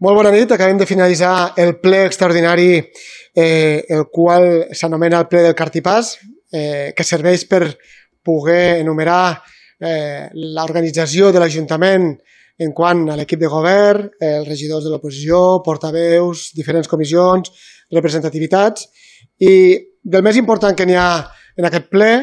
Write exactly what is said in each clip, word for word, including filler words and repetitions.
Molt bona nit, acabem de finalitzar el ple extraordinari, eh, el qual s'anomena el ple del Cartipàs, eh, que serveix per poder enumerar eh, l'organització de l'Ajuntament en quant a l'equip de govern, eh, els regidors de l'oposició, portaveus, diferents comissions, representativitats, i del més important que n'hi ha en aquest ple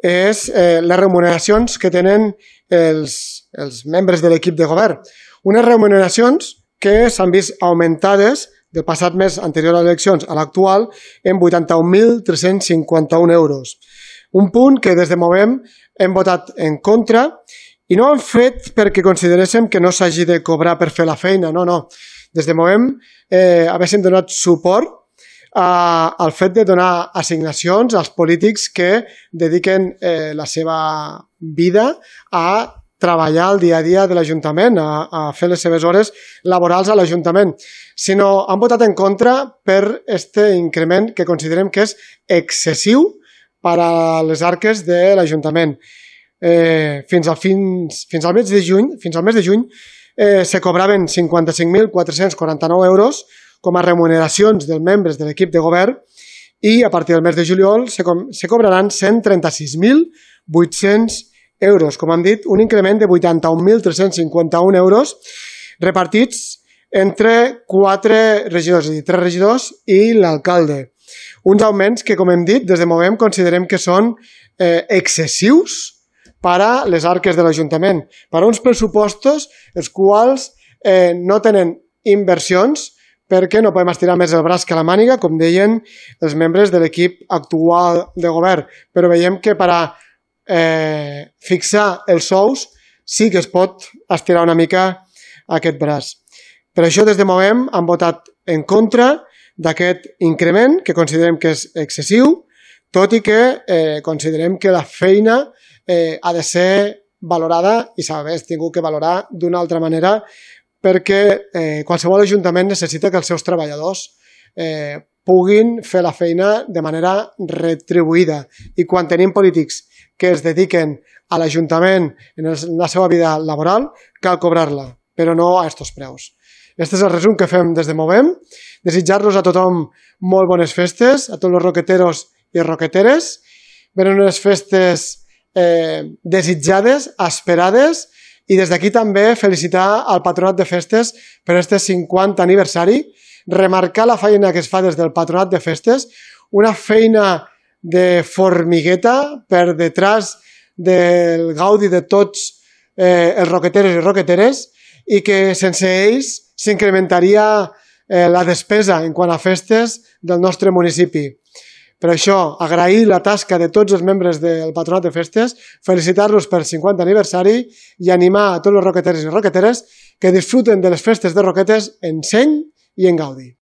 és eh, les remuneracions que tenen els, els membres de l'equip de govern. Unes remuneracions que s'han vist augmentades del passat mes anterior a les eleccions a l'actual en vuitanta-un mil tres-cents cinquanta-un euros. Un punt que des de Movem hem votat en contra i no ho hem fet perquè consideréssim que no s'hagi de cobrar per fer la feina, no, no. Des de Movem eh, haguéssim donat suport a, al fet de donar assignacions als polítics que dediquen eh, la seva vida a treballar el dia a dia de l'Ajuntament, a, a fer les seves hores laborals a l'Ajuntament, sinó han votat en contra per este increment que considerem que és excessiu per a les arques de l'Ajuntament. Eh, fins, al fins, fins al mes de juny, fins al mes de juny eh, se cobraven cinquanta-cinc mil quatre-cents quaranta-nou euros com a remuneracions dels membres de l'equip de govern i a partir del mes de juliol se, com, se cobraran cent trenta-sis mil vuit-cents euros. Com hem dit, un increment de vuitanta-un mil tres-cents cinquanta-un euros repartits entre quatre regidors, és a dir, tres regidors i l'alcalde. Uns augments que, com hem dit, des de Movem considerem que són eh, excessius per a les arques de l'Ajuntament, per a uns pressupostos els quals eh, no tenen inversions perquè no podem estirar més el braç que la màniga, com deien els membres de l'equip actual de govern. Però veiem que per a eh, fixar els sous sí que es pot estirar una mica aquest braç. Per això des de Movem han votat en contra d'aquest increment, que considerem que és excessiu, tot i que eh, considerem que la feina eh, ha de ser valorada i s'ha tingut que valorar d'una altra manera perquè eh, qualsevol ajuntament necessita que els seus treballadors eh, puguin fer la feina de manera retribuïda. I quan tenim polítics que es dediquen a l'Ajuntament en la seva vida laboral, cal cobrar-la, però no a estos preus. Aquest és el resum que fem des de Movem. Desitjar-los a tothom molt bones festes, a tots els roqueteros i roqueteres. Venen unes festes eh, desitjades, esperades, i des d'aquí també felicitar al Patronat de Festes per aquest cinquantè aniversari, remarcar la feina que es fa des del Patronat de Festes, una feina de formigueta per detrás del gaudi de tots eh, els roqueteros i roqueteres i que sense ells s'incrementaria eh, la despesa en quant a festes del nostre municipi. Per això, agrair la tasca de tots els membres del Patronat de Festes, felicitar-los per cinquantè aniversari i animar a tots els roqueteros i roqueteres que disfruten de les festes de Roquetes en seny i en gaudi.